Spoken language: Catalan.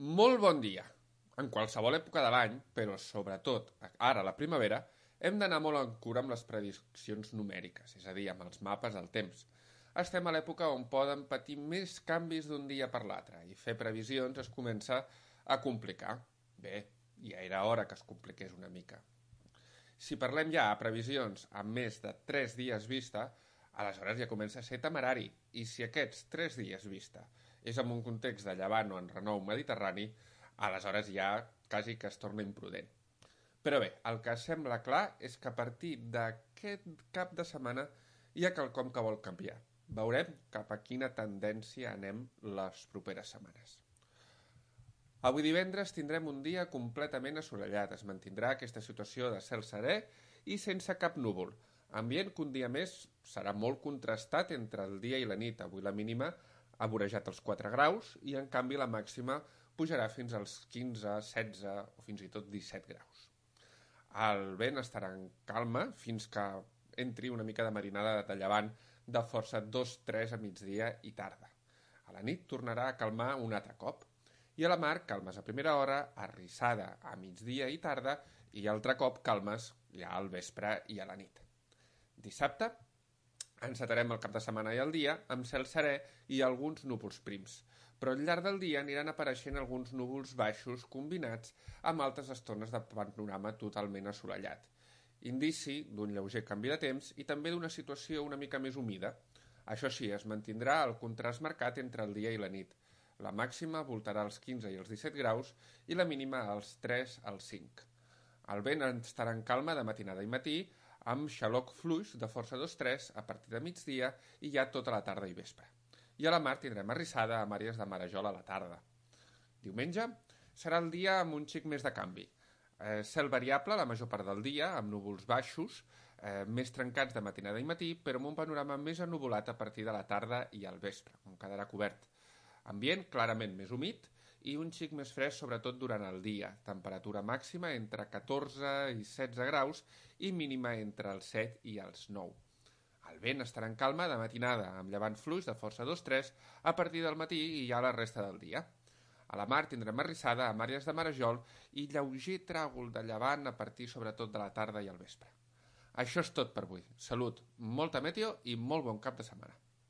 Molt bon dia. En qualsevol època de l'any, però sobretot ara a la primavera, hem d'anar molt en cura amb les prediccions numèriques, és a dir, amb els mapes del temps. Estem a l'època on poden patir més canvis d'un dia per l'altre i fer previsions es comença a complicar. Bé, ja era hora que es compliqués una mica. Si parlem ja a previsions amb més de 3 dies vista, aleshores ja comença a ser temerari. I si aquests 3 dies vista és en un context de llevant o en renou mediterrani, aleshores ja quasi que es torna imprudent. Però bé, el que sembla clar és que a partir d'aquest cap de setmana hi ha quelcom que vol canviar. Veurem cap a quina tendència anem les properes setmanes. Avui divendres tindrem un dia completament assolellat. Es mantindrà aquesta situació de cel serè i sense cap núvol. Ambient que un dia més serà molt contrastat entre el dia i la nit. Avui la mínima ha vorejat els 4 graus i en canvi la màxima pujarà fins als 15, 16 o fins i tot 17 graus. El vent estarà en calma fins que entri una mica de marinada de llevant de força 2-3 a migdia i tarda. A la nit tornarà a calmar un altre cop. I a la mar, calmes a primera hora, arrissada a migdia i tarda, i altre cop calmes ja al vespre i a la nit. Dissabte encetarem el cap de setmana i el dia amb cel serè i alguns núvols prims, però al llarg del dia aniran apareixent alguns núvols baixos combinats amb altres estones de panorama totalment assolellat. Indici d'un lleuger canvi de temps i també d'una situació una mica més humida. Això sí, es mantindrà el contrast marcat entre el dia i la nit. La màxima voltarà als 15 i els 17 graus i la mínima als 3 als 5. El vent estarà en calma de matinada i matí, amb xaloc fluix de força 2-3 a partir de migdia i ja tota la tarda i vespre. I a la mar tindrem arrissada amb àrees de marejol a la tarda. Diumenge serà el dia amb un xic més de canvi. Cel variable la major part del dia, amb núvols baixos, més trencats de matinada i matí, però amb un panorama més ennuvolat a partir de la tarda i al vespre, on quedarà cobert. Ambient clarament més humit i un xic més fresc sobretot durant el dia. Temperatura màxima entre 14 i 16 graus i mínima entre els 7 i els 9. El vent estarà en calma de matinada, amb llevant fluix de força 2-3 a partir del matí i ja la resta del dia. A la mar tindrem arrissada amb àrees de marejol i lleuger tràgol de llevant a partir sobretot de la tarda i el vespre. Això és tot per avui. Salut, molta meteo i molt bon cap de setmana.